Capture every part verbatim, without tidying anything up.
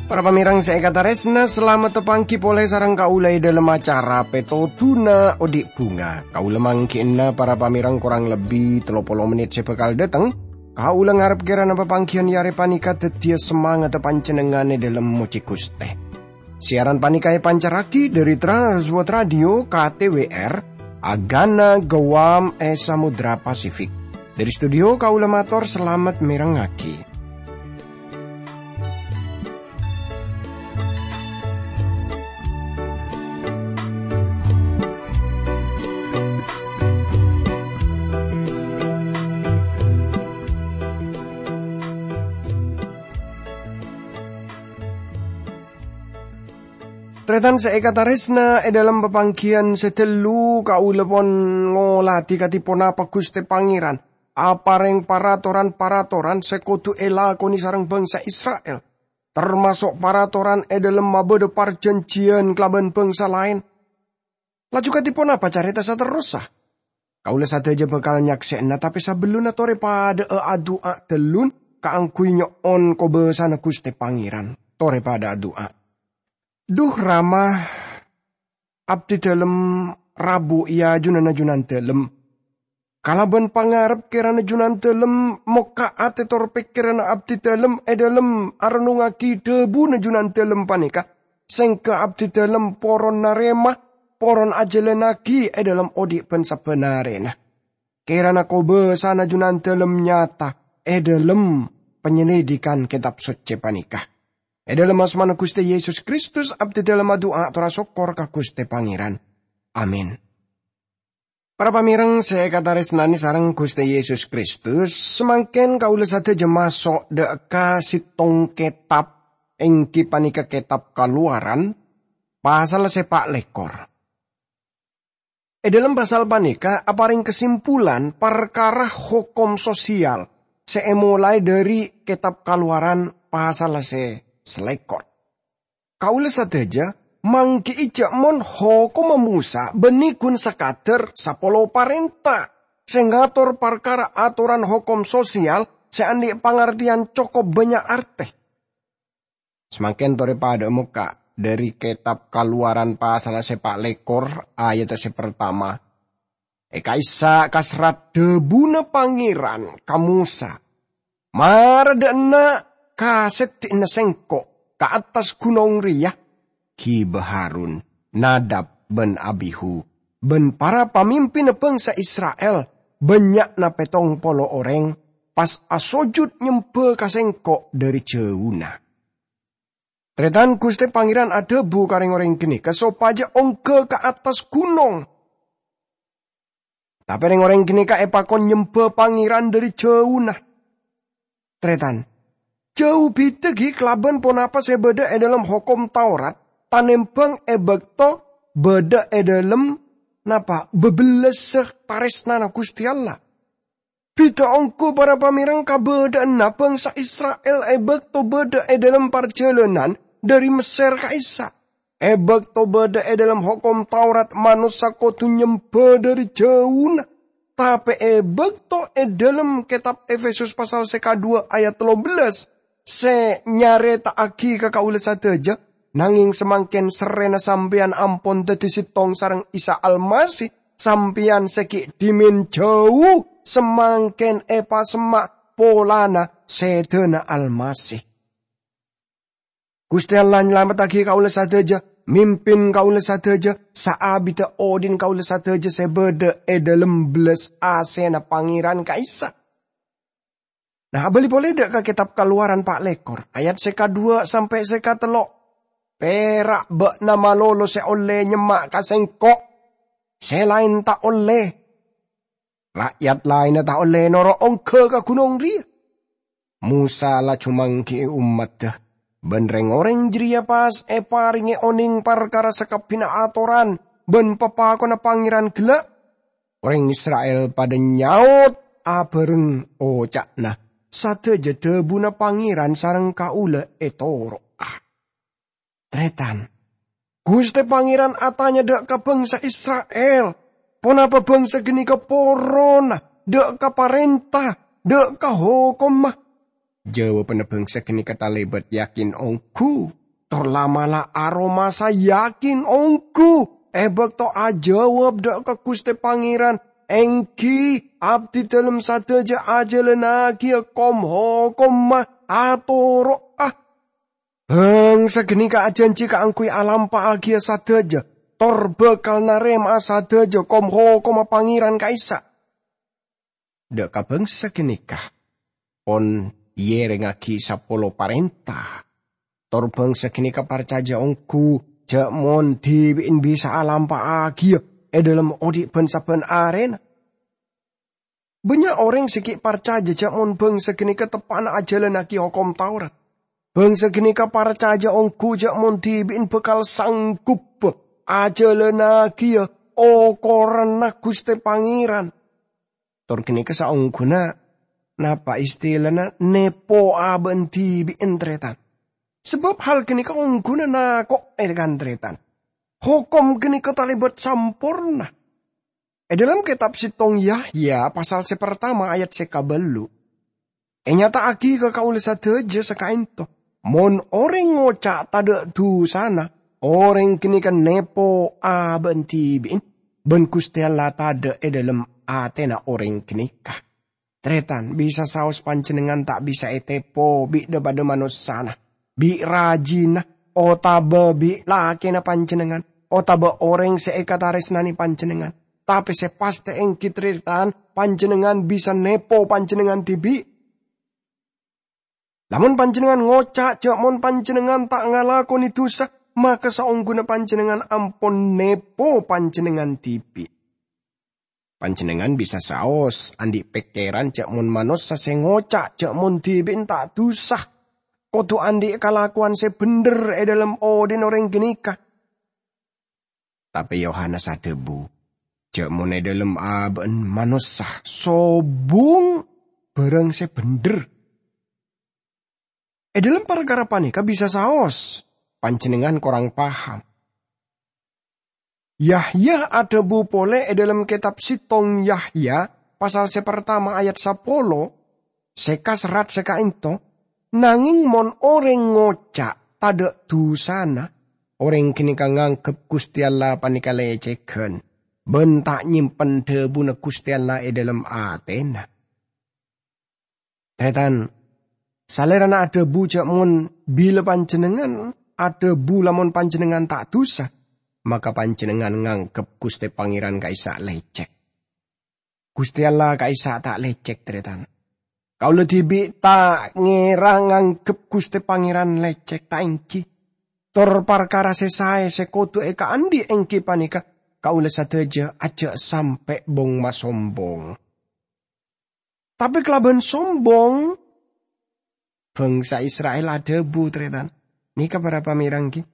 Para pamèrèng sè èkatarèsna, salamet tapangghi polè sareng kaulâ è dhâlem acara Pètodhuna Odi' Bhunga. Kaulâ mangghi'na para pamèrèng korang lebbi tello polo mennit sè bhâkal dhâteng. Kaulâ ngarep kèrana papangghiyân è arè panèka dhâddhiyâ samangatta panjhennengngan è dhâlem mojhi Ghustè. Siaran panèka èpancarraghi dhâri Trans World Radio K T W R, Agana Guam è Samudra Pasifik. Dhâri studio kaulâ mator salamet mèrengngaghi. Tarètan sè èkatarèsna, è dhâlem papangghiyân sè ghâllu kaulâ pon ngolatè kadhi ponapa Ghustè Pangèran aparèng paratoran-paratoran sè kodhu èlakonè sareng bhângsa Isra'il, tamaso' paratoran è dhâlem mabâdâ parjhânjhiyân kalabân bhângsa laèn. Laju kadhi ponapa carèta saterrossa? Kaulâ sadhâjâ bhâkal nyaksè'ana, tapè sabellunna torè padhâ'â adu'a dhâllu kaangghuy nyo'on kobâsana Ghustè Pangèran. Torè padhâ adu'a. Dhu Rama, abdhi dhâlem rabu è ajunanna Junandhâlem. Kalabân pangarep kèrana Junandhâlem mokka' atè tor pèkkèranna abdhi dhâlem è dhâlem arennungngaghi dhâbuna Junandhâlem panèka, sèngghâ abdhi dhâlem poron narèma, poron ajhâlânnaghi è dhâlem odi' bân sabbhân arèna. Kèrana kobâsana Junandhâlem nyata è dhâlem panyelidikan Kètab Soccè panèka. È dhâlem asmana Ghustè Yesus Kristus, abdhi dhâlem adu'a ator asokkor ka Ghustè Pangèran. Amin. Para pamèrèng sè èkatarèsnanè sareng Ghustè Yesus Kristus, samangkèn kaulâ sadhâjâ maso' dhâ' ka sèttong kètab, èngghi panèka kètab Kalowaran, pasal sè pa' lèkor. È dhâlem pasal panèka aparèng kasimpulan parkara hokom sosial sè èmolaè dhâri kètab Kalowaran pasal sè salèkor. Kaulâ sadhâjâ mangghi'i jhâ' mon hokomma Mosa bânnè ghun sakadhâr sapolo parènta sè ngator parkara atoran hokom sosial sè andi' pangartèyan cokop bânnya' artè. Samangkèn torè padhâ'â mokka' dhâri kètab Kalowaran pasal sè pa' lèkor, ayat sè partama. È ka'issa' kaserrat dhâbuna Pangèran ka Mosa, "Mara dhâ' enna' ka sèddhi'na sèngko' ka attas ghunong rèya, ghibâ Harun, Nadab bân Abihu, bân para pamimpinna bhângsa Isra'il, bânnya'na pèttong polo orèng, pas asojud nyembhâ ka sèngko' dhâri jhâuna." Tarètan, Ghustè Pangèran adhâbu ka rèng-orèng ghânèka sopajâ ongghâ ka attas ghunong. Tapè rèng-orèng ghânèka èpakon nyembhâ Pangèran dhâri jhâuna. Tarètan, jhâu bhidhâ ghi kalabân ponapa sè bâdâ è dhâlem Hokom Taurat, tanèmbhâng è bâkto bâdâ è dhâlem, napa, bâbellâssa tarèsnana Ghustè Allah. Bhidhâ ongghu para pamèrèng kabâdâ'ânna bhângsa Isra'il è bâkto bâdâ è dhâlem parjhâlânan dhâri Messèr ka'issa'. È bâkto bâdâ è dhâlem Hokom Taurat, manossa kodhu nyembhâ dhâri jhâuna. Tapè è bâkto è dhâlem kètab Efesus pasal sè kaduwâ' ayat tello bellâs, sè nyarèta'aghi ka kaulâ sadhâjâ, nangèng samangkèn sarrèna sampèyan ampon dhâddhi sèttong sareng Isa Almasih, sampèyan sè ghi' dhimèn jhâu samangkèn èpasemma' polana sèdhâna Almasih. Ghustè Allah nyalamettaghi kaulâ sadhâjâ, mimpin kaulâ sadhâjâ, saabiddhâ odhi'na kaulâ sadhâjâ sè bâdâ è dhâlem bellas asèna Pangèran ka'issa'. Nah, abâli polè dâ' ka Kètab Kalowaran pa' lèkor, ayat sè kaduwâ' sampè' sè katello'. Pèra' bâ'na malolo sè ollè nyemma' ka Sèngko'. Sè laèn ta' ollè. Ra'yat laènna ta' ollè noro' ongghâ ka ghunong rèya. Mosa laju mangghi'i ommaddhâ, bân rèng-orèng jârèya pas èparèngè onèng parkara sakabbhiyânna atoran bân papakonna Pangèran ghellâ'. Orèng Isra'il padâ nyaot abhâreng, oca'na, "Sadhâjâ dhâbuna Pangèran sareng kaulâ ètoro'a." Tarètan, Guste Pangeran atanya dha' ka bangsa Isra'il, "Ponapa bangsa ganeka porona dha' ka parenta, dha' ka hokomma?" Jawabanna bangsa ganeka talebat yakin onggu, tor la'-mala' aromasa yakin onggu e bakto ajawab dha' ka Guste Pangeran, "Enggi, abdi dhalem sadaja ajalannagiya kom-hokomma, atoro'a." Bangsa ganeka ajanji kaangguy alampa'agiya sadaja, tor bakal narema'a sadaja kom-hokomma Pangeran ka'issa'. Dha' ka bangsa ganeka pon yerengngagi sapolo parenta, tor bangsa ganeka parcaja onggu ja' mon dibi'en bisa alampa'agiya e dhalem odhi' ban-sabban arena. Bannya' oreng se gi' parcaja ja' mon bangsa ganeka teppa'na ajalannagi Hokom Taurat. Bangsa ganeka parcaja onggu ja' mon dibi'en bakal sangguppa ajalannagiya okoranna Guste Pangeran. Tor ganeka saongguna napa istilana nepo aba'an dibi'en, taretan. Sabab hal ganeka ongguna nako'e, kan, taretan. Hokom ganeka talebat samporna. E dhalem Ketab Settong Yahya, pasal se partama ayat se kabellu', enyata'agi ka kaula sadaja sakaento, mon oreng ngoca' tadha' dusana, oreng ganeka nepo aba'an dibi'en, ban Guste Allah tadha' e dhalem atena oreng ganeka. Taretan, bisa saos panjennengngan ta' bisa etepo bi' dha-padha manossana, bi' rajina, otaba bi' lakena panjennengngan, otaba oreng se ekataresnane panjennengngan. Tape se paste enggi, taretan, panjennengngan bisa nepo panjennengngan dibi'. Lamon panjennengngan ngoca' ja' mon panjennengngan ta' ngalakone dusa, maka saongguna panjennengngan ampon nepo panjennengngan dibi'. Panjennengngan bisa saos andhi' pekkeran ja' mon manossa se ngoca' ja' mon dibi'en ta' dusa, kodu andhi' kalakowan se bendher e dhalem odhi'na oreng ganeka. Tape Yohanes adhabu, ja' mon e dhalem aba'an manossa sobung barang se bendher. E dhalem parkara paneka bisa saos, panjennengngan korang paham. Yahya adhabu pole e dhalem Ketab Settong Yahya, pasal se partama ayat sapolo, se kaserrat se kaento, "Nangeng mon oreng ngoca' tadha' dusana, oreng ganeka nganggep Guste Allah paneka lecegan, ban ta' nyempen dhabuna Guste Allah e dhalem atena." Taretan, Salerana adhabu ja' mon bila panjennengngan adhabu lamon panjennengngan ta' dusa, maka panjennengngan nganggep Guste Pangeran ka'issa' lecek. Guste Allah ka'issa' ta' lecek, taretan. Kaula dibi' ta' ngera nganggep Guste Pangeran lecek, ta' enggi. Tor parkara se sae se kodu ekaandhi' enggi paneka, kaula sadaja aja' sampe' bong-masombong. Tape kalaban sombong, bangsa Isra'il adhabu, taretan. Neka para pamereng, gi.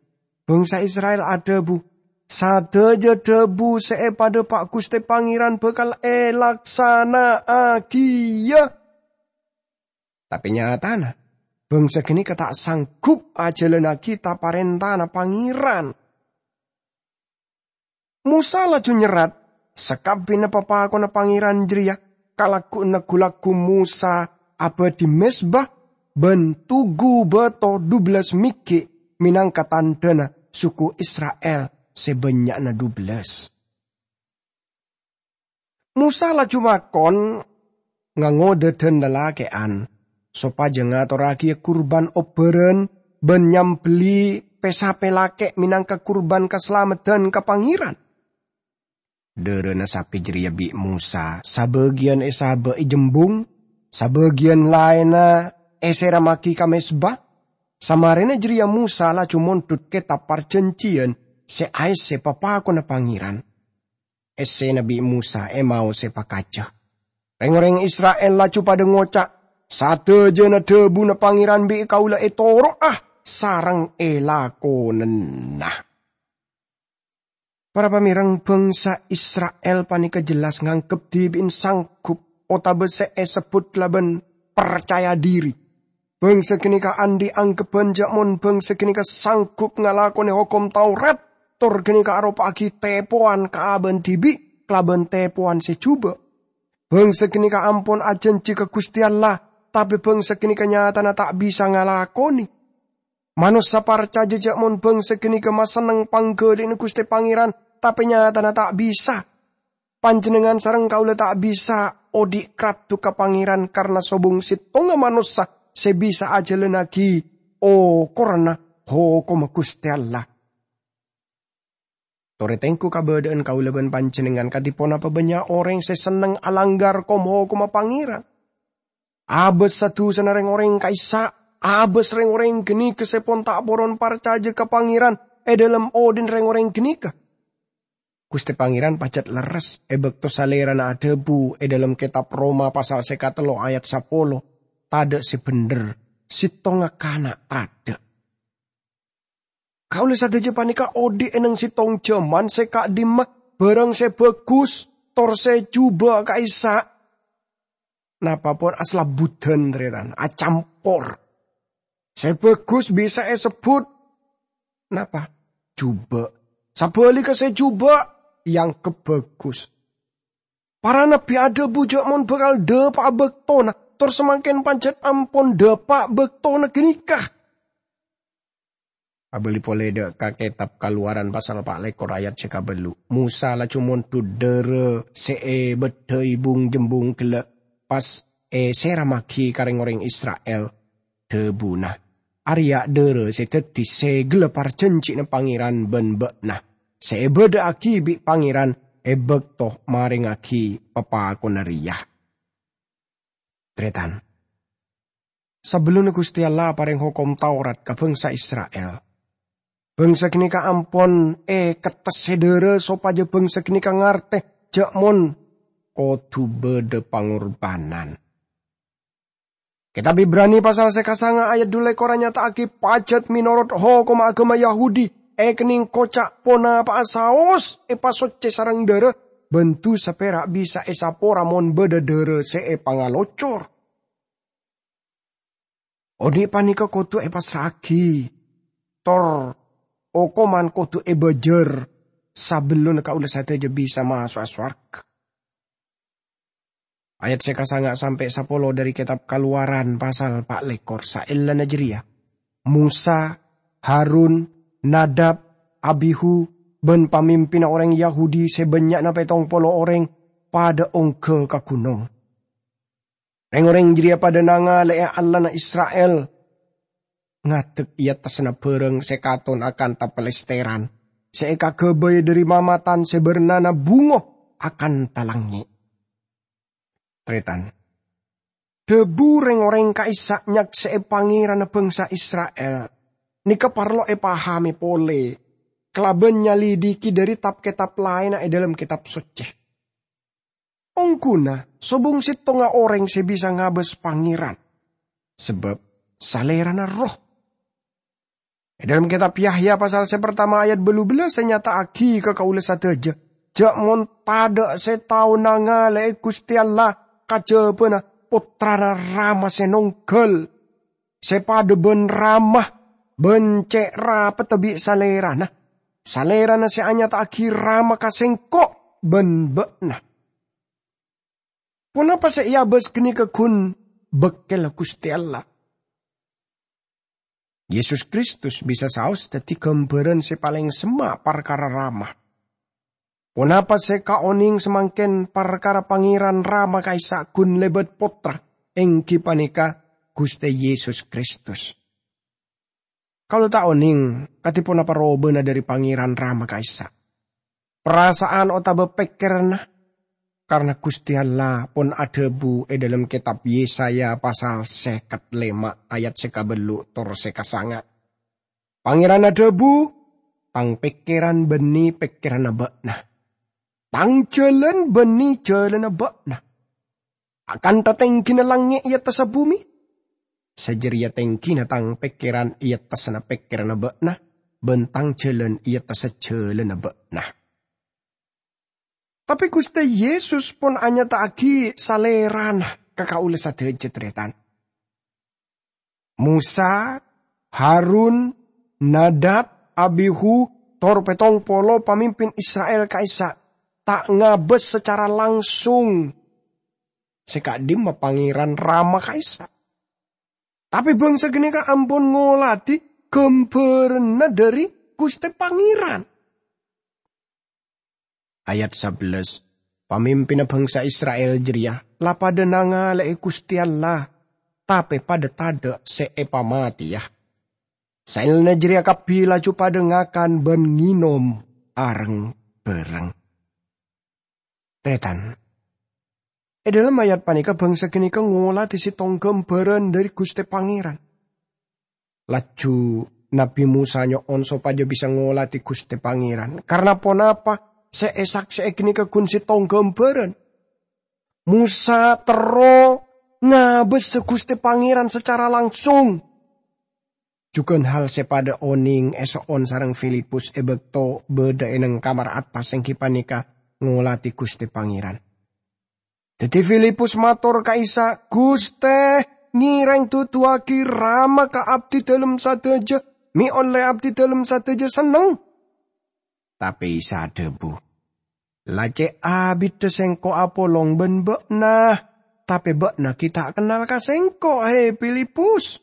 Bangsa Isra'il adhabu, "Sadaja dhabu se epadhapa' Guste Pangeran bakal elaksana'agiya." Tape nyatana, bangsa ganeka ta' sanggup ajalannagi ta-parentana Pangeran. Mosa laju nyerrat, "Sakabbiyanna papakonna Pangeran jareya kalaggu'na gu-lagghu Mosa abadhi mezba ban tugu bato dhubellas meggi' menangka tandhana suku Isra'il se bannya'na dhubellas." Mosa laju makon ngangodha dhan lalake'an, sopaja ngatorragiya kurban obbaran ban nyambelli pe-sape lake' menangka kurban kasalameddan ka Pangeran. Dharana sape jareya bi' Mosa sabagiyan esaba'i jembung, sabagiyan laenna eserammagi ka mezba. Samarena jareya Mosa laju mondhut Ketab Parjanjiyan se aesse papakonna Pangeran. Essena bi' Mosa emaose pakaca. Reng-oreng Isra'il laju padha ngoca', "Sadajana dhabuna Pangeran bi' kaula etoro'a sareng elakonana." Para pamereng, bangsa Isra'il paneka jelas nganggep dhibi'en sanggup otaba se esebbut kalaban parcaya dhiri. Bangsa ganeka andhi' anggepban ja' mon bangsa ganeka sanggup ngalakone Hokom Taurat, tor ghânèka aropa'aghi tèpowan ka abâ'na dhibi' kalabân tèpowan sè jhubâ'. Bhângsa ghânèka ampon ajhânjhi ka Ghustè Allah, tapè bhângsa ghânèka nyatana ta' bisa ngalakonè. Manossa parcajâ jâ' mon bhângsa ghânèka masenneng pangghâli'na Ghustè Pangèran, tapè nyatana ta' bisa. Panjhennengngan sareng kaulâ ta' bisa odi' kraddu ka Pangèran karna sobung settonga manossa sè bisa ajhâlânnaghi okoranna hokomma Ghustè Allah. Torè tèngghu kabâdâ'ân kaulâ bân panjhennengngan kadhi ponapa bânnya' orèng sè senneng alangghâr kom-hokomma Pangèran. Abâs sa-dusana rèng-orèng ka'issa', abâs rèng-orèng ghânèka sè pon ta' poron parcajâ ka Pangèran è dhâlem odhi'na rèng-orèng ghânèka. Ghustè Pangèran pajhât lerres è bâkto Salèrana adhâbu è dhâlem kètab Roma pasal sè katello ayat sapolo, "Tadâ' sè bhendher, settonga kana' tadâ'." Kaulâ sadhâjâ panèka odhi' è neng settong jhâman sè ka'dhimma bhârâng sè bhâghus tor sè jhubâ' ka'issa'. Napa pon aslabbhudhân, tarètan, acampor. Sè bhâghus bisa èsebbhut napa? Jhubâ'. Sabhâligghâ sè jhubâ' èangghep bhâghus. Para nabbhi adhâbu jâ' mon bhâkal dhâpa'a bâktona, tor samangkèn pajhât ampon dhâpa' bâktona ghânèka. Abâli polè dâ' ka kètab Kalowaran pasal pa' lèkor ayat sè kabâllu'. Mosa laju mondhut dhârâ sè èbâddhâi bung-jembung ghellâ' pas èsèrammaghi ka rèng-orèng Isra'il. Dhâbuna, "Arèya dhârâ sè dhâddhi sèghellâ parjhânjhiyânna Pangèran bân bâ'na, sè èbâdhâ'aghi bi' Pangèran è bâkto marèngngaghi papakonna rèya." Tarètan. Sabellunna Ghustè Allah aparèng Hokom Taurat ka bhângsa Isra'il, bhângsa ghânèka ampon èkettessè dhârâ sopajâ bhângsa ghânèka ngartè jâ' mon kodhu bâdâ pangorbhânan. Kètab Ibrani pasal sè kasanga ayat dhu lèkor anyata'aghi pajhât mènorot hokomma aghâma Yahudi èkennèng koca' ponapa'a saos èpasoccè sareng dhârâ, bân dhusa pèra' bisa èsapora mon bâdâ dhârâ sè èpangalocor. Odhi' panèka kodhu èpassra'aghi, tor okoman kodhu èbâjâr sabellunna kaulâ sadhâjâ bisa maso'a sowarghâ. Ayat sè kasanga sampè' sapolo dhâri Kètab Kalowaran pasal pa' lèkor. Saellana jârèya, Mosa, Harun, Nadab, Abihu, bân pamimpinna orèng Yahudi sè bânnya'na pèttong polo orèng padâ ongghâ ka ghunong. Rèng-orèng jârèya padâ nangalè'è Allahna Isra'il ngadek è attassanna bhârâng sè katon akanta palèstèran, sè èkaghâbây dhâri mamatan sè bârnana bungo akanta langngè'. Tarètan. Dhâbu rèng-orèng ka'issa' nyaksè'è Pangèranna bhângsa Isra'il nèka parlo èpahamè polè kalabân nyalidiki dhâri tab-kètab laènna è dhâlem Kètab Soccè. Ongghuna sobung settonga orèng sè bisa ngabâs Pangèran, sabâb Salèrana Erroh. È dhâlem Kètab Yahya pasal sè partama ayat bâllu bellâs ènyata'aghi ka kaulâ sadhâjâ, jâ' mon tadâ' sè tao nangalè'è Ghustè Allah kajhâbhâna Pottrana Rama sè nongghâl, sè padâ bân Rama bân cè' rapeddhâ bi' Salèrana, Salèrana sè anyata'aghi Rama ka sèngko' bân bâ'na. Ponapa sè èabâs ghânèka ghun bâkkèlla Ghustè Allah? Yesus Kristus bisa saos dhâddhi ghâmbhârân sè palèng semma' parkara Rama. Ponapa sè kaonèng samangkèn parkara Pangèran Rama ka'issa' ghun lèbât Pottra, èngghi panèka Ghustè Yesus Kristus? Kaulâ ta' onèng kadhi ponapa robâna dhâri Pangèran Rama ka'issa'. Parasa'an otabâ pèkkèranna, karna Ghustè Allah pon adhâbu è dhâlem kètab Yesaya pasal sèket lèma' ayat sè kabâllu' tor sè kasanga'. Pangèran adhâbu, "Tang pèkkèran bânnè pèkkèranna bâ'na. Tang jhâlân bânnè jhâlânna bâ'na. Akanta tèngghina langngè' è attassa bhumè, sajârèya tèngghina Tang pèkkèran è attassanna pèkkèranna bâ'na, bân Tang jhâlân è attassa jhâlânna bâ'na." Tapè Ghustè Yesus pon anyata'aghi Salèrana ka kaulâ sadhâjâ, tarètan. Mosa, Harun, Nadab, Abihu, tor pèttong polo pamimpin Isra'il ka'issa' ta' ngabâs sacara langsung sè ka'dimma Pangèran Rama ka'issa'. Tapè bhângsa ghânèka ampon ngoladhi ghâmbhârânna dhâri Ghustè Pangèran. Ayat sabellâs, pamimpinna bhângsa Isra'il jârèya la padâ nangalè'è Ghustè Allah, tapè padâ tadâ' sè èpamatèya. Saellana jârèya kabbhi laju padâ ngakan bân ngènom areng-bhâreng. Tarètan, è dhâlem ayat panèka bhângsa ghânèka ngoladhi sèttong ghâmbhârân dhâri Ghustè Pangèran. Laju Nabbhi Mosa nyo'on sopajâ bisa ngoladhi Ghustè Pangèran. Karna ponapa sè èsaksè'è ghânèka ghun sèttong ghâmbhârân. Mosa terro ngabâsa Ghustè Pangèran sacara langsung. Jhughân hal sè padâ onèng èso'on sareng Filipus è bâkto bâdâ è neng kamar attas, èngghi panèka ngoladhi Ghustè Pangèran. Dhâddhi Filipus mator ka Isa, "Ghustè, ngèrèng duduwâghi Rama ka abdhidhâlem sadhâjâ, mè' ollè abdhidhâlem sadhâjâ senneng." Tapè Isa adhâbu, "La cè' abiddhâ Sèngko' apolong bân bâ'na, tapè bâ'na ghi' ta' kennal ka Sèngko', he Filipus.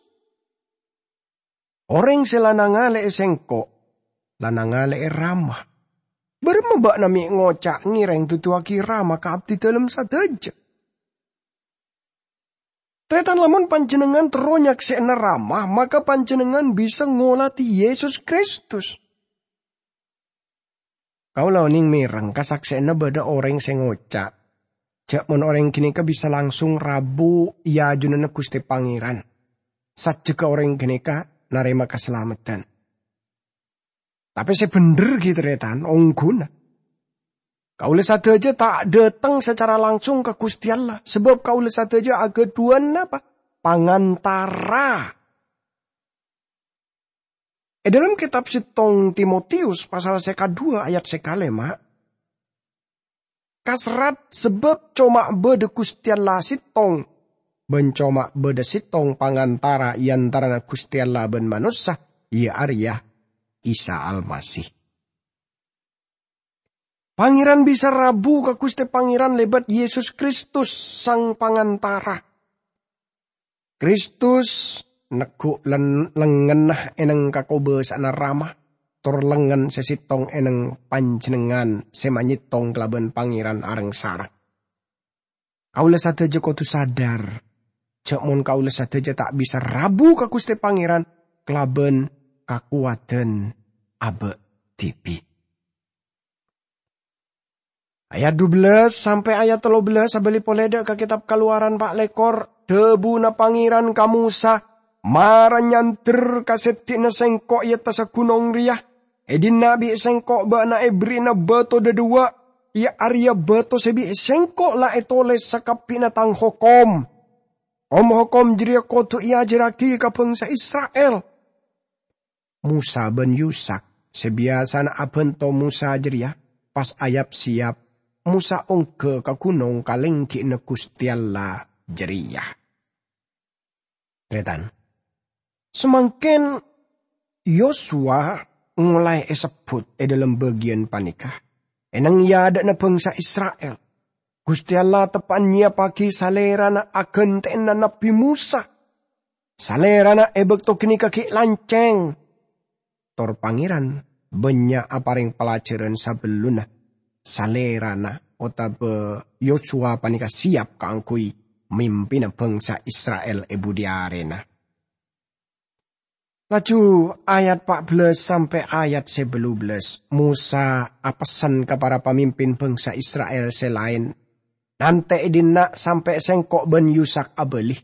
Orèng sè la nangalè'è Sèngko', la nangalè'è Rama. Bârâmma bâ'na mè' ngoca' ngèrèng duduwâghi Rama ka abdhidhâlem sadhâjâ?" Tarètan, lamon panjhennengngan terro nyaksè'ana Rama, maka panjhennengngan bisa ngoladhi Yesus Kristus. Kaulâ onèng mèreng kasaksè'anna bâdâ orèng sè ngoca', ja' mon orèng ghânèka bisa langsung rabu è ajunanna Ghustè Pangèran, sajjhegghâ orèng ghânèka narèma kasalameddhân. Tapè sè bhendher ghi' tarètan, ongghuna. Kaulâ sadhâjâ ta' dâteng sacara langsung ka Ghustè Allah, sabâb kaulâ sadhâjâ aghâdhuwân napa? Pangantara. È dhâlem kètab sèttong Timotius pasal sè kadhuwâ ayat sè kalèma', kaserrat sabâb coma bâdâ Ghustè Allah sèttong, bân coma bâdâ sèttong pangantara è antarana Ghustè Allah bân manossa, iyâ arèya Isa Almasih. Pangèran bisa rabu ka Ghustè Pangèran lèbât Yesus Kristus, Sang Pangantara. Kristus neggu' len-, lengngenna è neng kakobâsa'anna Rama, tor lengngen sè sèttong è neng panjhennengngan sè manyèttong kalabân Pangèran areng-sareng. Kaulâ sadhâjâ kodhu sadhâr, ja' mon kaulâ sadhâjâ ta' bisa rabu ka Ghustè Pangèran kalabân kakowadhân abâ' dhibi'. Ayat dubellâs sampè' ayat tello bellâs, abâli polè dâ' ka Kètab Kalowaran pa' lèkor, dhâbuna Pangèran ka Mosa, "Mara nyandher ka seddi'na Sèngko' è attassa ghunong rèya. È dinna' bi' Sèngko' bâ'na èberri'ana bâto dhâduwâ', iyâ arèya bâto sè bi' Sèngko' la ètolès sakabbhiyânna Tang hokom. Kom-hokom jârèya kodhu èajhârraghi ka bhângsa Isra'il." Mosa bân Yusak sè biyasana abhânto Mosa jârèya pas ayap-sèyap, Mosa ongghâ ka ghunong kalènggi'na Ghustè Allah jârèya. Tarètan, samangkèn Yosua molaè èsebbhut è dhâlem bâgiyân panèka, è neng è adâ'na bhângsa Isra'il. Ghustè Allah teppa'na nyèyappaghi Salèrana aghântè'ana Nabbhi Mosa. Salèrana è bâkto ghânèka ghi' lancèng. Tor Pangèran bânnya' aparèng palajhârân sabellunna Salèrana otabâ Yosua panèka sèyap kaangghuy mimpina bhângsa Isra'il è budi arèna. Laju ayat pa' bellâs sampè' ayat sè bellu bellâs, Mosa apessen ka para pamimpin bhângsa Isra'il sè laèn, "Nantè' è dinna' sampè' Sèngko' bân Yusak abâli.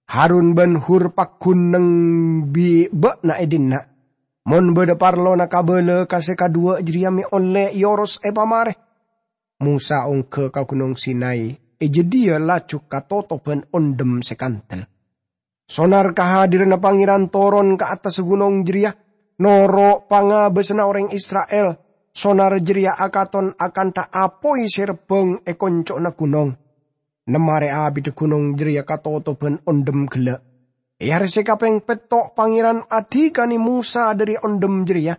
Harun bân Hur paggun neng bi' bâ'na è dinna'. Mon bâdâ parlona kabâlâ ka sè kadhuwâ' jârèya mè' ollè èoros èpamarè." Mosa ongghâ ka Ghunong Sinai, è jâdiyâ laju katotobhân ondhem sè kandel. Sonar kahadiranna Pangèran toron ka attassa ghunong jârèya, noro' pangabâsanna orèng Isra'il. Sonar jârèya akaton akantha apoy sè rebbhâng è konco'na ghunong. Nem arè abiddhâ ghunong jârèya katotobhân ondhem ghellâ'. È arè sè kapèng pètto' Pangèran adhikane Mosa dhâri ondhem jârèya,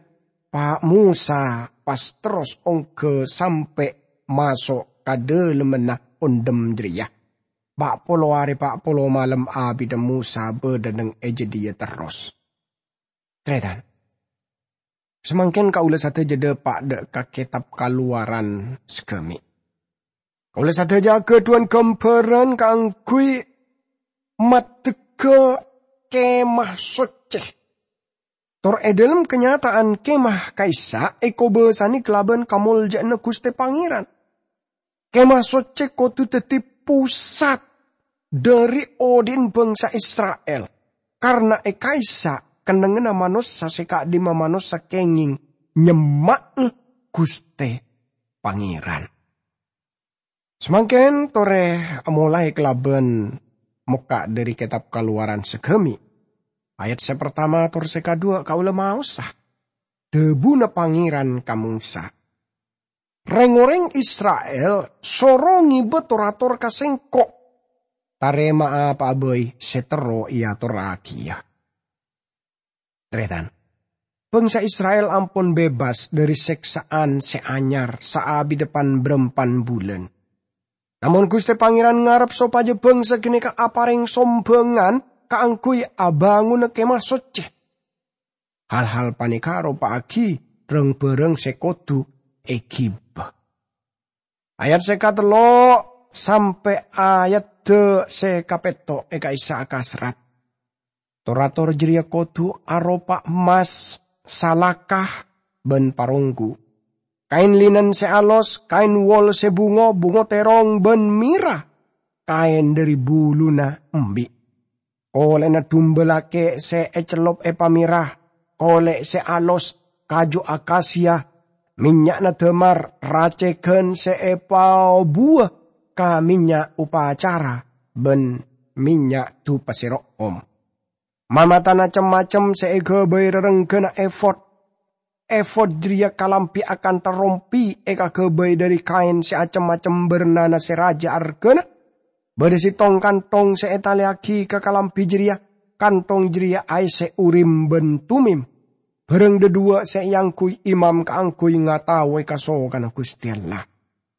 Pa' Mosa pas terros ongghâ sampè' maso' ka dhâlemmanna ondhem jârèya. Pa' polo arè pa' polo malem abidhâ Mosa bâdâ neng è jâdiyâ terros. Tarètan, samangkèn kaulâ sadhâjâ dâpa' dâ' ka Kètab Kalowaran saghâmè'. Kaulâ sadhâjâ aghâdhuwân ghâmbhârân kaangghuy maddhegghâ Kemah Soccè. Tor è dhâlem kanyata'an kemah ka'issa' èkobâsanè kalabân kamoljâ'ânna Ghustè Pangèran. Kemah Soccè kodhu dhâddhi posat dhâri odi'na bhângsa Isra'il, karna è ka'issa' kennengnganna manossa sè ka'dimma manossa kèngèng nyemma'è Ghustè Pangèran. Samangkèn torè amolaè kalabân mokka' dhâri Kètab Kalowaran saghâmè'. Ayat sè partama tor sè kadhuwâ' kaulâ maosa. Dhâbuna Pangèran ka Mosa, "Rèng-orèng Isra'il soro ngibâ tor-ator ka Sèngko'. Tarèma'a pa'a bhâi sè terro èatorraghiyâ." Tarètan, bhângsa Isra'il ampon bebas dhâri sèksa'an sè anyar saabidhâ pan-bârâmpan bulân. Namong Ghustè Pangèran ngarep sopajâ bhângsa ghânèka aparèng sombhângan kaangghuy abângona Kemah Soccè. Hal-hal panèka aropa'aghi rang-bhârâng sè kodhu èghibâ. Ayat sè katello' sampè' ayadda sè kapètto' è ka'issa' akaserrat. Tor-ator jârèya kodhu aropa emmas, salaka, bân paronggu. Kaèn linen sè alos, kaèn wol sè bungo, bungo terrong, bân mèra, kaèn dhâri buluna embi'. Kolè'na dumba lakè' sè ècellop èpamèra, kolè' sè alos, kaju akasia, mènnya'na dâmar, racèghân sè èpaobuwâ ka mènnya' opacara, bân mènnya' dupa sè ro'om. Mamatana cem-macem sè èghâbây rarengghânna efod. Efod jârèya kalambhi akantha rompi èkaghâbây dhâri kaèn sè acem-macem bârnana sè rajâ arghâna. Bâdâ sèttong kanthong sè ètalèyaghi ka kalambhi jârèya, kanthong jârèya aèssè Urim bân Tumim. Bhârâng dhâduwâ' sè èangghuy imam kaangghuy ngataowè kasokanna Ghustè Allah,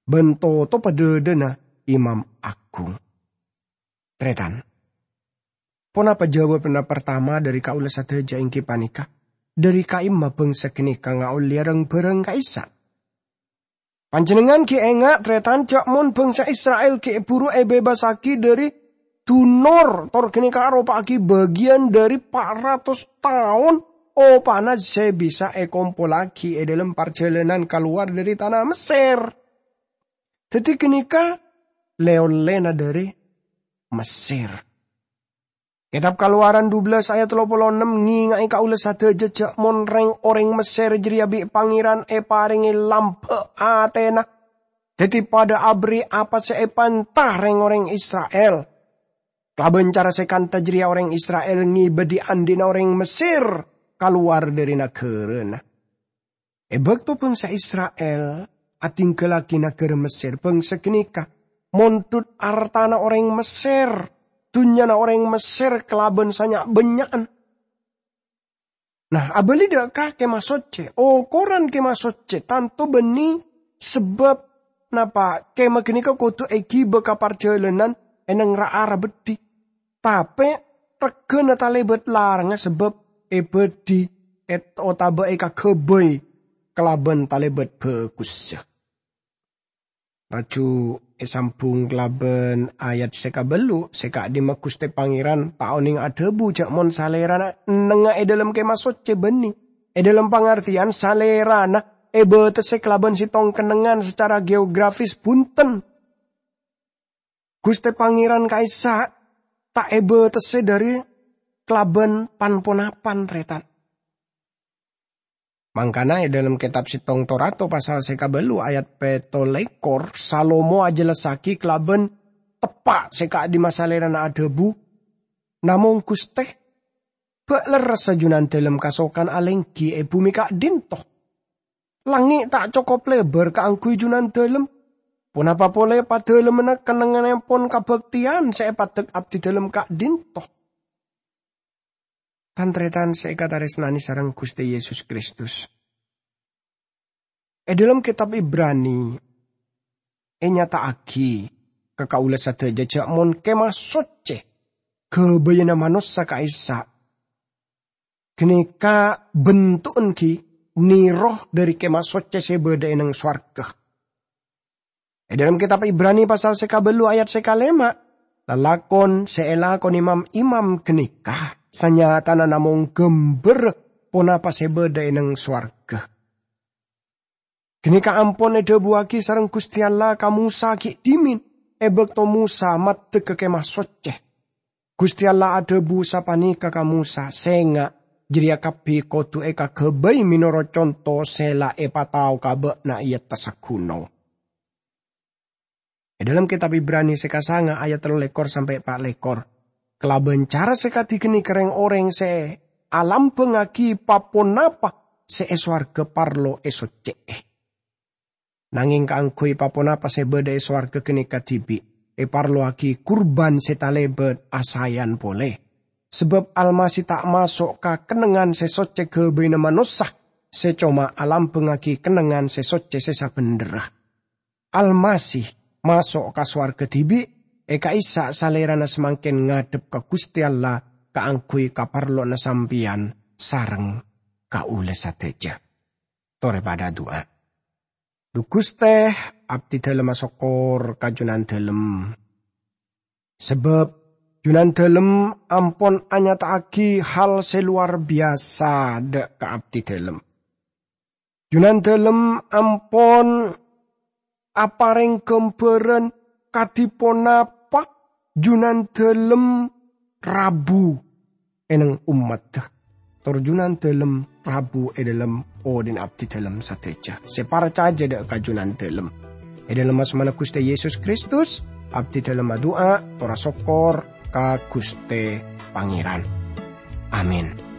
bân totobhâ dhâdhâna imam aghung. Tarètan, ponapa jawabanna partama dhâri kaulâ sadhâjâ èngghi panèka, dhâri ka'imma bhângsa ghânèka ngaollèya rang-bhârâng ka'issa'? Panjhennengngan ghi' enga', tarètan, jâ' mon bhângsa Isra'il ghi' bhuru èbebasaghi dhâri dunor, tor ghânèka aropa'aghi bâgiyân dhâri pa' ratos taon opana sè bisa èkompollaghi è dhâlem parjhâlânan kalowar dhâri tana Messèr. Dhâddhi ghânèka lè-ollèna dhâri Messèr. Kètab Kalowaran dubellâs ayat tello polo ennem ngènga'è kaulâ sadhâjâ jâ' mon rèng-orèng Messèr jârèya bi' Pangèran èparèngè lambâ' atèna, dhâddhi padâ aberri' apa sè èpanta rèng-orèng Isra'il. Kalabân cara sè kantha jârèya orèng Isra'il ngibâ dhi'-andhi'na orèng Messèr kalowar dhâri naghârâna. È bâkto bhângsa Isra'il adhinggâllaghi naghârâ Messèr, bhângsa ghânèka mondhut artana orèng Messèr, dhunnyana orèng Messèr kalabân sanya'-bânnya'an. Nah, abâli dâ' ka Kèma Soccè. Okoran Kèma Soccè tanto bânnè sabâb napa Kèma ghânèka kodhu èghibâ ka parjhâlânan è neng ra-ara beddhi. Tapè règhâna talèbât larangnga sabâb èbâdhi èt-, otabâ èkaghâbây kalabân talèbât bhâghussa. Laju èsambhung kalabân ayat sè kabellu', sè ka'dimma Ghustè Pangèran ta' onèng adhâbu jâ' mon Salèrana ennengnga è dhâlem Kèma Soccè bânnè. È dhâlem pangartèyan Salèrana èbâtessè kalabân sèttong kennengngan sacara geografis bhunten. Ghustè Pangèran ka'issa' ta' èbâtessè dhâri kalabân pan-ponapan, tarètan. Mangkana è dhâlem kètab Sèttong Torato pasal sè kabellu ayat pètto lèkor, Salomo ajhellasaghi kalabân teppa' sè ka'dimma Salèrana adhâbu, "Namong Ghustè, bâ' lerressa Junandhâlem kasokan alèngghi è bhumè ka'dinto. Langngè' ta' cokop lèbâr kaangghuy Junandhâlem. Ponapa polè padhâlemmanna kennengngannèpon kabhâktèyan sè èpaddhek abdhidhâlem ka'dinto." Tan-tarètan sè èkatarèsnanè sareng Ghustè Yesus Kristus, È dhâlem Kètab Ibrani ènyata'aghi ka kaulâ sadhâjâ jhâ' mon kemah soccè ghâbâyâna manossa ka'issa' ghânèka bento'en ghi' nèro dhâri kemah soccè sè bâdâ è neng sowarghâ. È dhâlem Kètab Ibrani pasal sè kabâllu ayat sè kalèma', lalakon sè èlakonè mam-imam ghânèka sanyatana namong ghâmbhârrâ ponapa sè bâdâ è neng sowarghâ. Ghânèka ampon èdhâbuwâghi sareng Ghustè Allah ka Mosa ghi' dhimèn è bâkto Mosa maddhek ka Kemah Soccè. Ghustè Allah adhâbu sapanèka ka Mosa, "Sènga' jârèya kabbhi kodhu èkaghâbây mènorot conto sè la èpatao ka bâ'na è attassa ghunong." È dhâlem Kètab Ibrani sè kasanga ayat tello lèkor sampè' pa' lèkor, kalabân cara sè kadhi ghânèka rèng-orèng sè alambhângngaghi pa-ponapa sè è sowarghâ parlo èsoccè'è. Nangèng kaangghuy pa-ponapa sè bâdâ è sowarghâ ghânèka dhibi' èparlowaghi kurban sè talèbât asaèyan polè. Sabâb Almasih ta' maso' ka kennengngan sè soccè ghâbâyna manossa, sè coma alambhângngaghi kennengngan sè soccè sè sabhendherra. Almasih maso' ka sowarghâ dhibi', è ka'issa' Salèrana samangkèn ngadhep ka Ghustè Allah kaangghuy kaparlowanna sampèyan sareng kaulâ sadhâjâ. Torè padâ adu'a. Dhu Ghustè, abdhidhâlem asokkor ka Junandhâlem. Sabâb Junandhâlem ampon anyata'aghi hal sè lowar biyasa dâ' ka abdhidhâlem. Junandhâlem ampon aparèng ghâmbhârân kadhi ponapa Junandhâlem rabu è neng ommaddhâ. Tor Junandhâlem rabu è dhâlem odhi'na abdhidhâlem sadhâjâ sè parcajâ dâ' ka Junandhâlem. È dhâlem asmana Ghustè Yesus Kristus, abdhidhâlem adu'a tor asokkor ka Ghustè Pangèran. Amin.